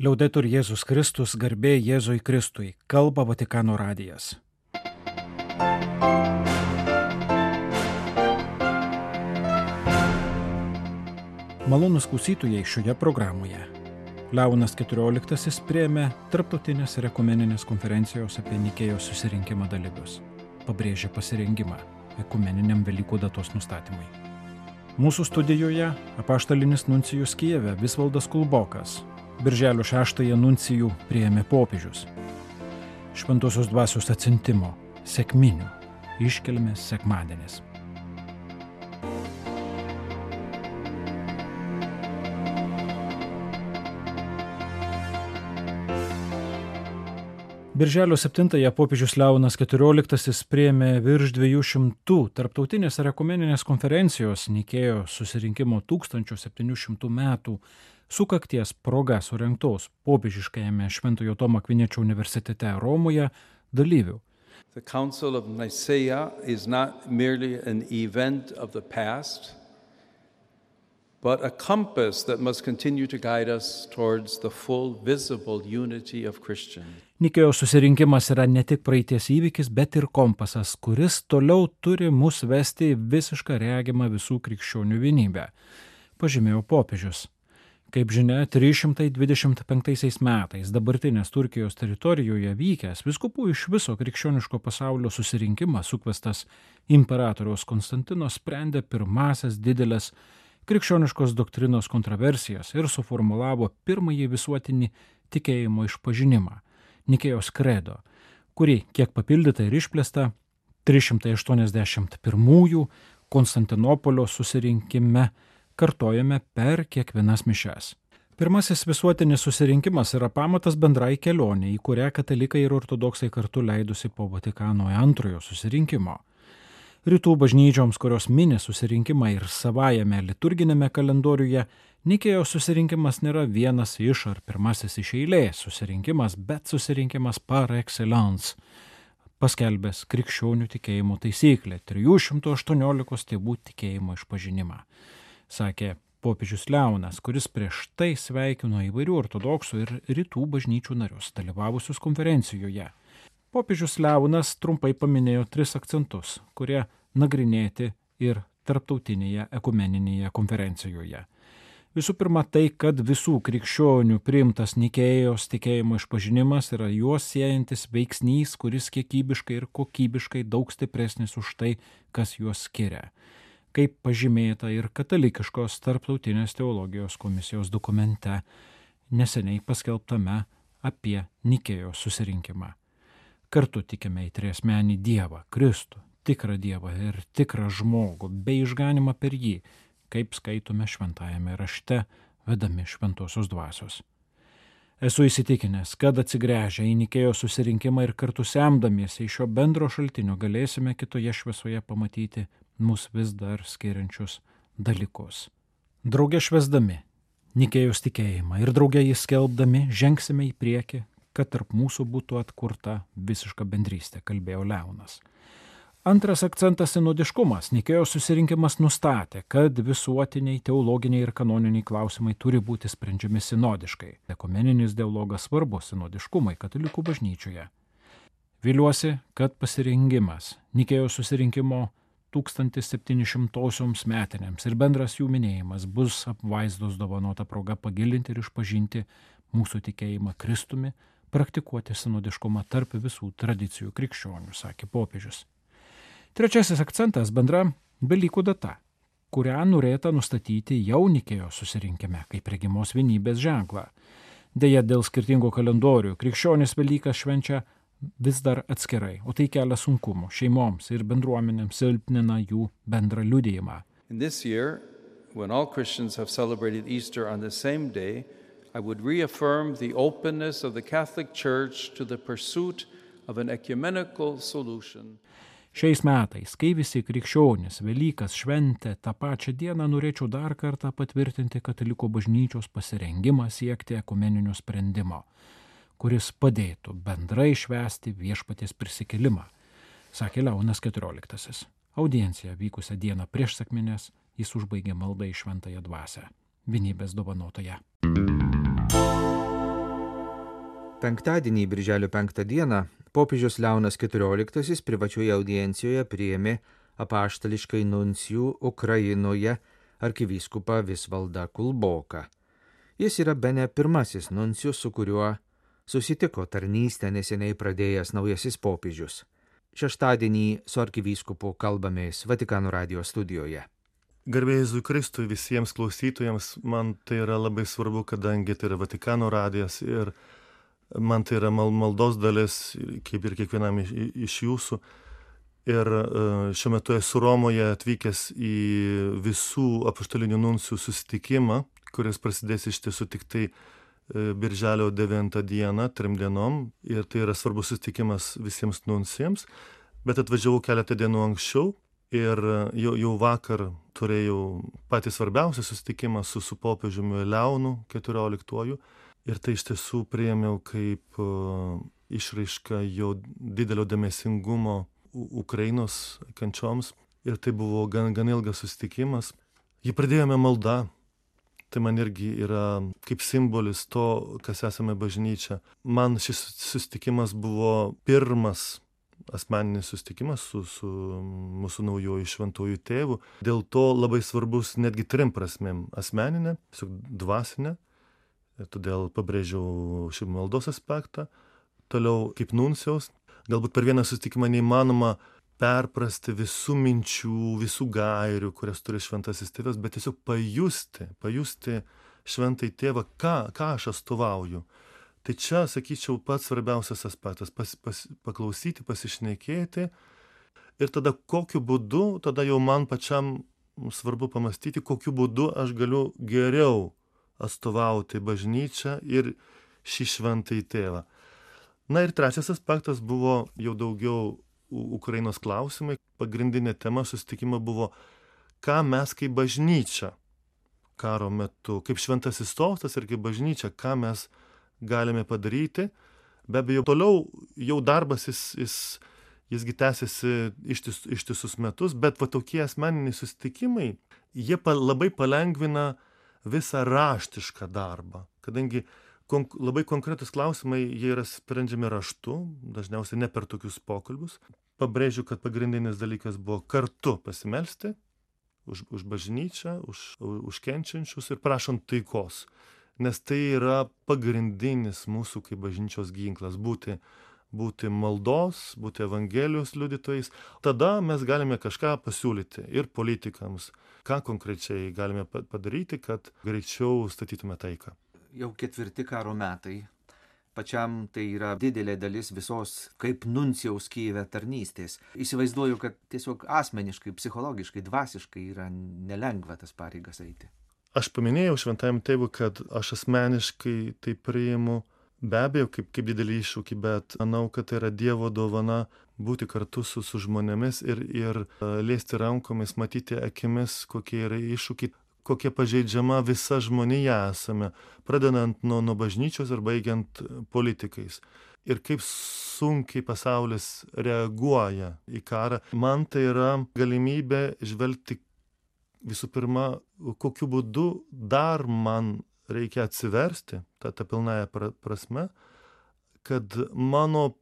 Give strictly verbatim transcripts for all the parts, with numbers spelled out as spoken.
Liaudetur Jėzus Kristus, garbė Jėzui Kristui, kalba Vatikano radijas. Malonūs klausytojai šioje programoje. Leonas keturioliktasis priėmė Tarptautinės ir ekumeninės konferencijos apie Nikėjos susirinkimą dalyvius. Pabrėžė pasirengimą ekumeniniam Velykų datos nustatymui. Mūsų studijoje apaštalinis nuncijus Kijeve Visvaldas Kulbokas. Birželio šeštąją nuncijų priėmė popiežius. Šventosios dvasios atsiuntimo, sekminių, iškilmės sekmadienis. Birželio septintąją popiežius Leonas keturioliktasis priėmė virš dviejų šimtų tarptautinės ir ekumeninės konferencijos Nikėjos susirinkimo tūkstančio septynių šimtų metų sukakties proga surengtos popiežiškajame Šventojo Tomo Akviniečio universitete Romoje dalyvių. The Council of Nicaea is not merely an event of the past, but a compass that must continue to guide us towards the full visible unity of Christians. Nikėjos susirinkimas yra ne tik praeities įvykis, bet ir kompasas, kuris toliau turi mus vesti į visišką regimą visų krikščionių vienybę, pažymėjo popiežius. Kaip žinia, trys šimtai dvidešimt penktaisiais metais dabartinės Turkijos teritorijoje vykęs vyskupų iš viso krikščioniško pasaulio susirinkimas sukvestas imperatoriaus Konstantino sprendė pirmasias didelės krikščioniškos doktrinos kontroversijas ir suformulavo pirmąjį visuotinį tikėjimo išpažinimą – Nikėjos kredo, kurį kiek papildyta ir išplėsta trys šimtai aštuoniasdešimt pirmųjų Konstantinopolio susirinkime kartojame per kiekvienas mišias. Pirmasis visuotinis susirinkimas yra pamatas bendrai kelionė, į kurią katalikai ir ortodoksai kartu leidusi po Vatikano antrojo susirinkimo. Rytų bažnyčioms, kurios mini susirinkimą ir savajame liturginėme kalendoriuje, Nikėjos susirinkimas nėra vienas iš ar pirmasis iš eilės susirinkimas, bet susirinkimas par excellence, paskelbęs krikščionių tikėjimo taisyklę trijų šimtų aštuoniolikos tėvų tikėjimo išpažinimą, sakė popiežius Leonas, kuris prieš tai sveikino įvairių ortodoksų ir rytų bažnyčių narius dalyvavusius konferencijoje. Popiežius Leonas trumpai paminėjo tris akcentus, kurie nagrinėti ir tarptautinėje ekumeninėje konferencijoje. Visų pirma, tai, kad visų krikščionių priimtas Nikėjos tikėjimo išpažinimas yra juos siejantis veiksnys, kuris kiekybiškai ir kokybiškai daug stipresnis už tai, kas juos skiria, kaip pažymėta ir katalikiškos tarptautinės teologijos komisijos dokumente, neseniai paskelbtame apie Nikėjos susirinkimą. Kartu tikime į triasmenį Dievą, Kristų, tikrą Dievą ir tikrą žmogų, bei išganimą per jį, kaip skaitome šventajame rašte, vedami šventosios dvasios. Esu įsitikinęs, kad atsigręžę į Nikėjos susirinkimą ir kartu semdamiesi iš šio bendro šaltinio galėsime kitoje šviesoje pamatyti mus vis dar skiriančius dalykus. Drauge švęsdami Nikėjos tikėjimą ir drauge jį skelbdami žengsime į priekį, kad tarp mūsų būtų atkurta visiška bendrystė, kalbėjo Leonas. Antras akcentas – sinodiškumas. Nikėjos susirinkimas nustatė, kad visuotiniai, teologiniai ir kanoniniai klausimai turi būti sprendžiami sinodiškai. Ekumeninis dialogas svarbus sinodiškumai katalikų bažnyčioje. Viliuosi, kad pasirengimas Nikėjos susirinkimo tūkstantis septyni šimtosioms metinėms ir bendras jų minėjimas bus apvaizdos dovanota proga pagilinti ir išpažinti mūsų tikėjimą Kristumi, praktikuoti sinodiškumą tarp visų tradicijų krikščionių, sakė popiežius. Trečiasis akcentas – bendra Velykų data, kurią norėta nustatyti jau Nikėjos susirinkime, kaip regimos vienybės ženklą. Deja, dėl skirtingų kalendorių krikščionys Velykas švenčia vis dar atskirai, o tai kelia sunkumų šeimoms ir bendruomenėms, silpnina jų bendrą liudijimą. In this year, when all Christians have celebrated Easter on the same day, I would reaffirm the openness of the Catholic Church to the pursuit of an ecumenical solution. Šiais metais, kai visi krikščionys Velykas šventė tą pačią dieną, norėčiau dar kartą patvirtinti katalikų bažnyčios pasirengimą siekti ekumeninio sprendimo, kuris padėtų bendrai švęsti viešpaties prisikėlimą, sakė Leonas keturioliktasis. Audienciją vykusią dieną prieš sekmines jis užbaigė maldą į šventąją dvasią, vienybės dovanotoje. Penktadienį, birželio penktą dieną, popiežius Leonas keturioliktasis privačioje audiencijoje priėmė apaštališkai nuncijų Ukrainoje arkivyskupą Visvaldą Kulboką. Jis yra bene pirmasis nuncijus, su kuriuo susitiko tarnystę neseniai pradėjęs naujasis popiežius. Šeštadienį su arkivyskupu kalbamės Vatikano radijo studijoje. Garbė Jėzui Kristui visiems klausytojams, man tai yra labai svarbu, kadangi tai yra Vatikano radijas ir man tai yra maldos dalis, kaip ir kiekvienam iš, iš jūsų. Ir šiuo metu esu Romoje atvykęs į visų apaštalinių nuncijų susitikimą, kuris prasidės iš tiesų tik tai birželio devintą dieną, trim dienom. Ir tai yra svarbus susitikimas visiems nuncijams. Bet atvažiavau keletą dienų anksčiau ir jau, jau vakar turėjau patį svarbiausią susitikimą su, su popiežiumi Leonu keturioliktuoju. Ir tai iš tiesų priėmiau kaip uh, išraišką jo didelio dėmesingumo Ukrainos kančioms. Ir tai buvo gan, gan ilgas susitikimas. Jį pradėjome malda. Tai man irgi yra kaip simbolis to, kas esame bažnyčia. Man šis susitikimas buvo pirmas asmeninis susitikimas su, su mūsų naujoju šventuoju tėvu. Dėl to labai svarbus netgi trim prasmėm. Asmeninė, tiesiog dvasinė. Todėl pabrėžiau šį maldos aspektą. Toliau kaip nuncijaus. Galbūt per vieną susitikimą neįmanoma perprasti visų minčių, visų gairių, kurias turi šventasis tėvas, bet tiesiog pajusti, pajusti šventai tėvą, ką, ką aš atstovauju. Tai čia, sakyčiau, pats svarbiausias aspektas pas, pas, – paklausyti, pasišnekėti ir tada kokiu būdu, tada jau man pačiam svarbu pamastyti, kokiu būdu aš galiu geriau atstovauti bažnyčią ir šį šventąjį tėvą. Na ir trečias aspektas buvo jau daugiau Ukrainos klausimai. Pagrindinė tema susitikimo buvo, ką mes kaip bažnyčia karo metu, kaip šventasis sostas ir kaip bažnyčia, ką mes galime padaryti. Be abejo, toliau jau darbas jis, jis, jisgi tęsiasi ištis, ištisus metus, bet va tokie asmeniniai susitikimai, jie pa, labai palengvina visą raštišką darbą, kadangi konk, labai konkretus klausimai, jie yra sprendžiami raštu, dažniausiai ne per tokius pokalbius. Pabrėžiu, kad pagrindinis dalykas buvo kartu pasimelsti už, už bažnyčią, už, už kenčiančius ir prašant taikos. Nes tai yra pagrindinis mūsų kaip bažnyčios ginklas – būti, būti maldos, būti evangelijos liudytojais. Tada mes galime kažką pasiūlyti ir politikams, ką konkrečiai galime padaryti, kad greičiau statytume taiką. Jau ketvirti karo metai. Pačiam tai yra didelė dalis visos kaip nuncijaus Kyjive tarnystės. Įsivaizduoju, kad tiesiog asmeniškai, psichologiškai, dvasiškai yra nelengva tas pareigas eiti. Aš paminėjau šventajam tėvui, kad aš asmeniškai tai priimu be abejo kaip, kaip didelį iššūkį, bet manau, kad tai yra Dievo dovana būti kartu su, su žmonėmis ir, ir liesti rankomis, matyti akimis, kokie yra iššūkiai, kokia pažeidžiama visa žmonija esame, pradedant nuo, nuo bažnyčios ir baigiant politikais. Ir kaip sunkiai pasaulis reaguoja į karą. Man tai yra galimybė žvelgti visų pirma, kokiu būdu dar man reikia atsiversti, ta, ta pilnąja prasme, kad mano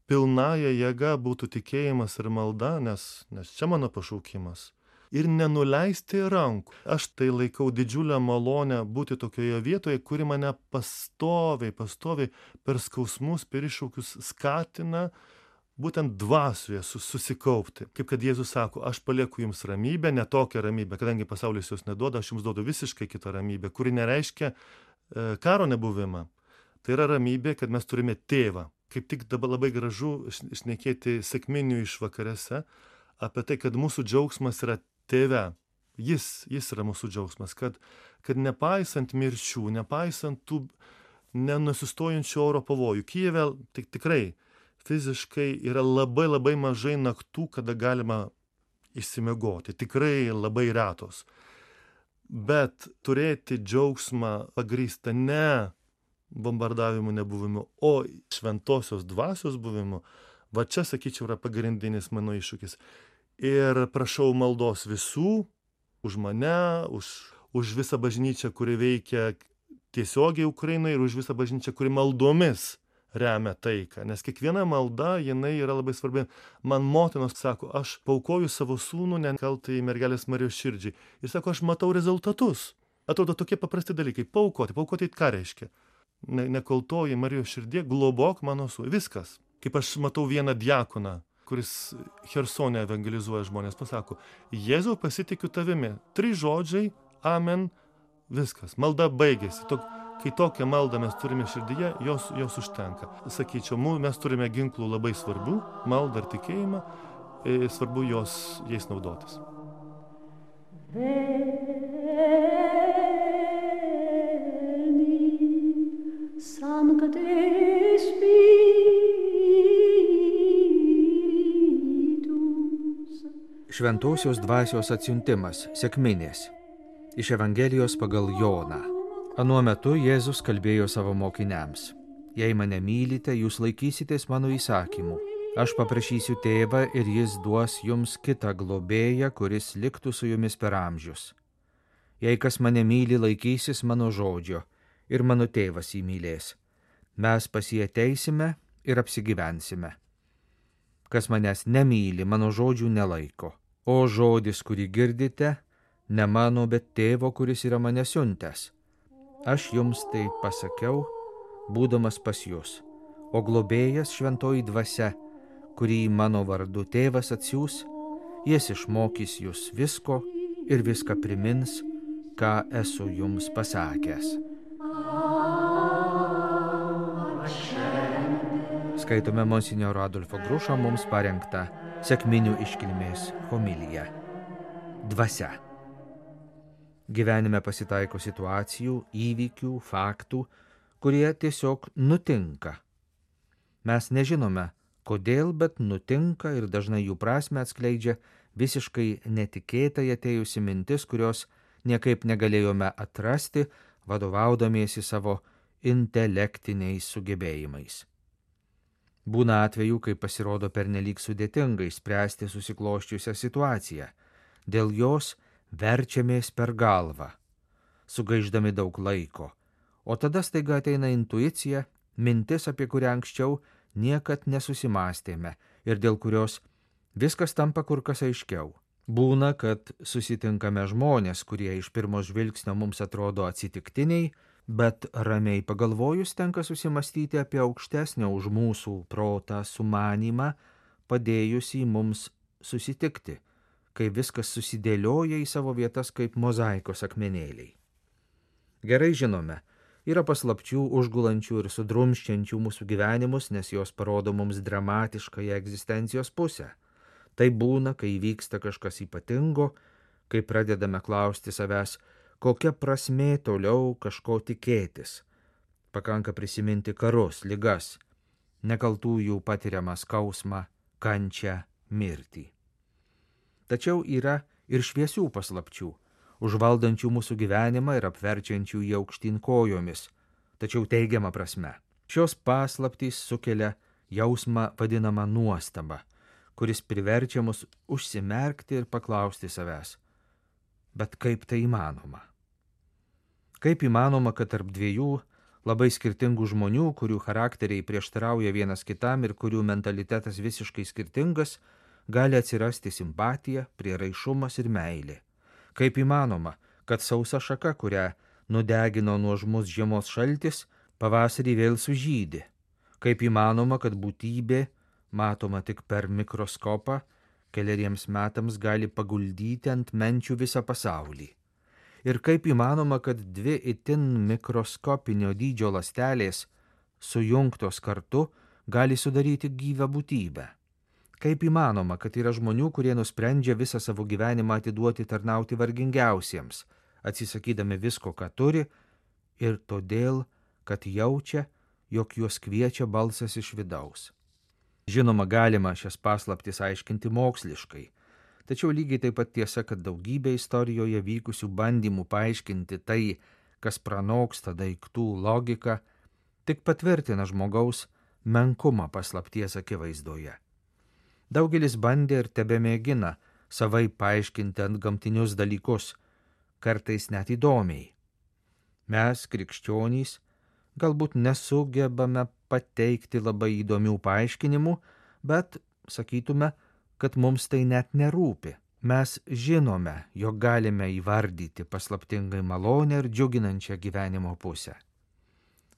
pilnąja jėga būtų tikėjimas ir malda, nes, nes čia mano pašaukimas. Ir nenuleisti rankų. Aš tai laikau didžiulę malonę būti tokioje vietoje, kuri mane pastoviai, pastoviai per skausmus, per iššūkius skatina būtent dvasioje susikaupti. Kaip kad Jėzus sako, aš palieku jums ramybę, ne tokią ramybę, kadangi pasaulis jos neduoda, aš jums duodu visiškai kitą ramybę, kuri nereiškia e, karo nebuvimą. Tai yra ramybė, kad mes turime tėvą. Kaip tik dabar labai gražu šnekėti sekminių išvakarėse apie tai, kad mūsų džiaugsmas yra tėve. Jis, jis yra mūsų džiaugsmas, kad, kad nepaisant mirčių, nepaisant tų nenusistojančių oro pavojų, Kyjive tik, tikrai fiziškai yra labai labai mažai naktų, kada galima išsimiegoti. Tikrai labai retos. Bet turėti džiaugsmą pagrįstą ne bombardavimų nebuvimu, o šventosios dvasios buvimu, va čia, sakyčiau, yra pagrindinis mano iššūkis. Ir prašau maldos visų, už mane, už, už visą bažnyčią, kuri veikia tiesiogiai Ukrainoje ir už visą bažnyčią, kuri maldomis remia taiką, nes kiekviena malda, jinai yra labai svarbi. Man motinos sako, aš paukoju savo sūnų nekaltai mergelės Marijos širdžiai. Ir sako, aš matau rezultatus. Atrodo tokie paprasti dalykai. Paukoti. Paukoti ką reiškia? Ne, nekaltoji Marijos širdie, globok mano sūnų. Viskas. Kaip aš matau vieną diakoną, kuris Chersone evangelizuoja žmonės, pasako, Jėzau, pasitikiu tavimi. Trys žodžiai, amen, viskas. Malda baigėsi. Tok, kai tokią maldą mes turime širdyje, jos, jos užtenka. Sakyčiau, mes turime ginklų labai svarbių, maldą ir tikėjimą, svarbu jos, jais naudotis. Šventosios dvasios atsiuntimas, sekminės. Iš Evangelijos pagal Joną. Anuo metu Jėzus kalbėjo savo mokiniams. Jei mane mylite, jūs laikysitės mano įsakymų. Aš paprašysiu tėvą ir jis duos jums kitą globėją, kuris liktų su jumis per amžius. Jei kas mane myli, laikysis mano žodžio ir mano tėvas jį mylės. Mes pas jį ateisime ir apsigyvensime. Kas manęs nemyli, mano žodžių nelaiko. O žodis, kurį girdite, ne mano, bet tėvo, kuris yra mane siuntęs. Aš jums tai pasakiau, būdamas pas jūs. O globėjas šventoji dvasia, kurį mano vardu tėvas atsiųs, jis išmokys jūs visko ir viską primins, ką esu jums pasakęs. Skaitome monsinjoro Adolfo Grušo mums parengtą sekminių iškilmės homiliją. Dvasia. Gyvenime pasitaiko situacijų, įvykių, faktų, kurie tiesiog nutinka. Mes nežinome, kodėl, bet nutinka ir dažnai jų prasmę atskleidžia visiškai netikėtai atėjusi mintis, kurios niekaip negalėjome atrasti, vadovaudamiesi savo intelektiniais sugebėjimais. Būna atvejų, kai pasirodo pernelyg sudėtingai spręsti susikloščiusią situaciją. Dėl jos verčiamės per galvą, sugaišdami daug laiko, o tada staiga ateina intuicija, mintis, apie kurią anksčiau niekad nesusimastėme ir dėl kurios viskas tampa kur kas aiškiau. Būna, kad susitinkame žmonės, kurie iš pirmo žvilgsnio mums atrodo atsitiktiniai, bet ramiai pagalvojus tenka susimastyti apie aukštesnio už mūsų protą sumanymą, padėjusį mums susitikti, kai viskas susidėlioja į savo vietas kaip mozaikos akmenėliai. Gerai žinome, yra paslapčių užgulančių ir sudrumščiančių mūsų gyvenimus, nes jos parodo mums dramatiškąją egzistencijos pusę. Tai būna, kai vyksta kažkas ypatingo, kai pradedame klausti savęs, kokia prasmė toliau kažko tikėtis. Pakanka prisiminti karus, ligas, nekaltųjų patiriamą skausmą, kančią, mirtį. Tačiau yra ir šviesių paslapčių, užvaldančių mūsų gyvenimą ir apverčiančių jį aukštyn kojomis, tačiau teigiama prasme. Šios paslaptys sukelia jausmą vadinamą nuostabą, kuris priverčia mus užsimerkti ir paklausti savęs. Bet kaip tai įmanoma? Kaip įmanoma, kad tarp dviejų labai skirtingų žmonių, kurių charakteriai prieštarauja vienas kitam ir kurių mentalitetas visiškai skirtingas, gali atsirasti simpatija, prieraišumas ir meilė? Kaip įmanoma, kad sausa šaka, kurią nudegino nuožmus žiemos šaltis, pavasarį vėl sužydi? Kaip įmanoma, kad būtybė, matoma tik per mikroskopą, keleriems metams gali paguldyti ant menčių visą pasaulį? Ir kaip įmanoma, kad dvi itin mikroskopinio dydžio ląstelės, sujungtos kartu, gali sudaryti gyvą būtybę? Kaip įmanoma, kad yra žmonių, kurie nusprendžia visą savo gyvenimą atiduoti tarnauti vargingiausiems, atsisakydami visko, ką turi, ir todėl, kad jaučia, jog juos kviečia balsas iš vidaus? Žinoma, galima šias paslaptis aiškinti moksliškai, tačiau lygiai taip pat tiesa, kad daugybė istorijoje vykusių bandymų paaiškinti tai, kas pranoksta daiktų logiką, tik patvirtina žmogaus menkumą paslapties akivaizdoje. Daugelis bandė ir tebemėgina savai paaiškinti antgamtinius dalykus, kartais net įdomiai. Mes, krikščionys, galbūt nesugebame pateikti labai įdomių paaiškinimų, bet sakytume, kad mums tai net nerūpi. Mes žinome, jog galime įvardyti paslaptingai malonę ir džiuginančią gyvenimo pusę.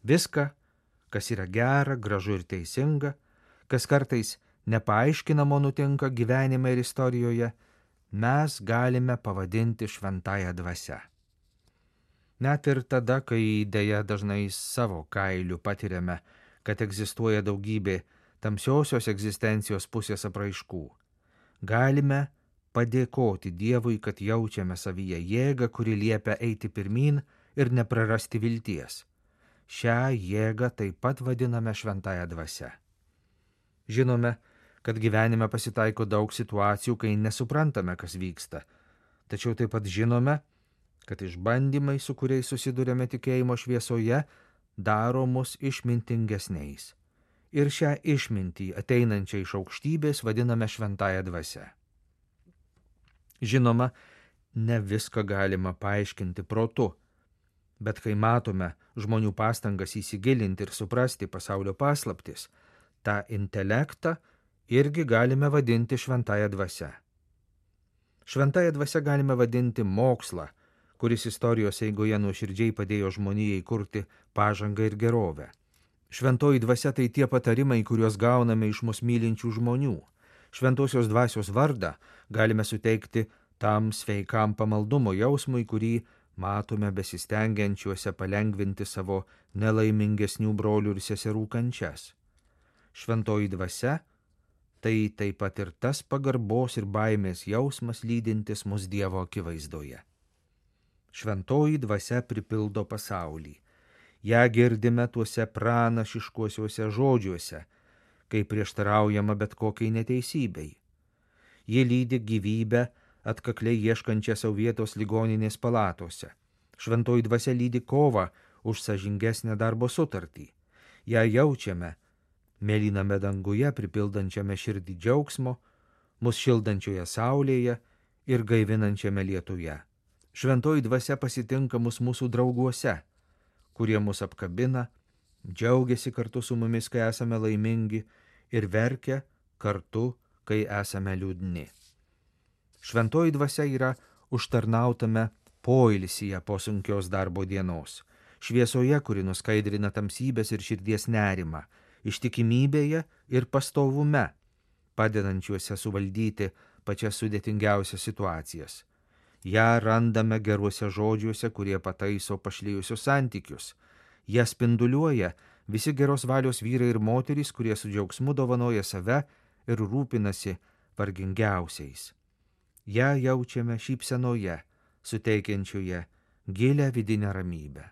Viską, kas yra gera, gražu ir teisinga, kas kartais nepaaiškinamo nutinka gyvenime ir istorijoje, mes galime pavadinti šventąja dvasia. Net ir tada, kai dėja dažnai savo kailiu patiriame, kad egzistuoja daugybė tamsiosios egzistencijos pusės apraiškų, galime padėkoti Dievui, kad jaučiame savyje jėgą, kuri liepia eiti pirmyn ir neprarasti vilties. Šią jėgą taip pat vadiname šventąja dvasia. Žinome, kad gyvenime pasitaiko daug situacijų, kai nesuprantame, kas vyksta, tačiau taip pat žinome, kad išbandymai, su kuriais susidurėme tikėjimo šviesoje, daro mus išmintingesniais. Ir šią išmintį ateinančią iš aukštybės vadiname šventąja dvasia. Žinoma, ne viską galima paaiškinti protu, bet kai matome žmonių pastangas įsigilinti ir suprasti pasaulio paslaptis, tą intelektą irgi galime vadinti šventąja dvasia. Šventąja dvasia galime vadinti mokslą, kuris istorijos eigoje nuoširdžiai padėjo žmonijai kurti pažangą ir gerovę. Šventoji dvasia tai tie patarimai, kuriuos gauname iš mus mylinčių žmonių. Šventosios dvasios vardą galime suteikti tam sveikam pamaldumo jausmui, kurį matome besistengiančiuose palengvinti savo nelaimingesnių brolių ir seserų kančias. Šventoji dvasia tai taip pat ir tas pagarbos ir baimės jausmas lydintis mus Dievo akivaizdoje. Šventoji dvasia pripildo pasaulį. Ja girdime tuose pranašiškuosiuose žodžiuose, kai prieštaraujama bet kokiai neteisybei. Ji lydi gyvybę atkakliai ieškančią savo vietos ligoninės palatose. Šventoji dvasia lydi kovą už sąžingesnę darbo sutartį. Ja jaučiame mėlyname danguje, pripildančiame širdį džiaugsmo, mus šildančioje saulėje ir gaivinančiame lietuje. Šventoji dvasia pasitinka mus mūsų drauguose, kurie mus apkabina, džiaugiasi kartu su mumis, kai esame laimingi, ir verkia kartu, kai esame liūdni. Šventoji dvasia yra užtarnautame poilsyje po sunkios darbo dienos, šviesoje, kuri nuskaidrina tamsybės ir širdies nerimą, ištikimybėje ir pastovume, padedančiuose suvaldyti pačias sudėtingiausias situacijas. Ja randame geruose žodžiuose, kurie pataiso pašlijusius santykius. Ja spinduliuoja visi geros valios vyrai ir moterys, kurie su džiaugsmu dovanoja save ir rūpinasi vargingiausiais. Ja jaučiame šypsenoje, suteikiančioje gilę vidinę ramybę.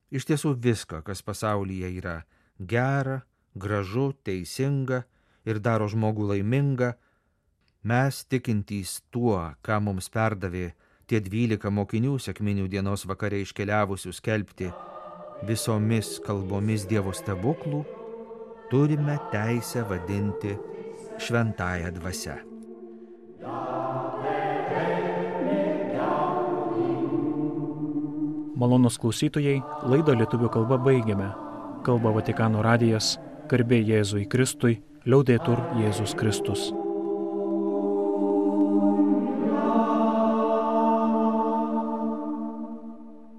Iš tiesų viską, kas pasaulyje yra gera, gražu, teisinga ir daro žmogų laimingą, mes tikintys tuo, ką mums perdavė tie dvylika mokinių sekminių dienos vakare iškeliavusių skelbti visomis kalbomis Dievo stebuklų, turime teisę vadinti šventąja dvasia. Malonūs klausytojai, laidą lietuvių kalba baigiame. Kalba Vatikano radijas, garbė Jėzui Kristui, liaudetur Jėzus Kristus.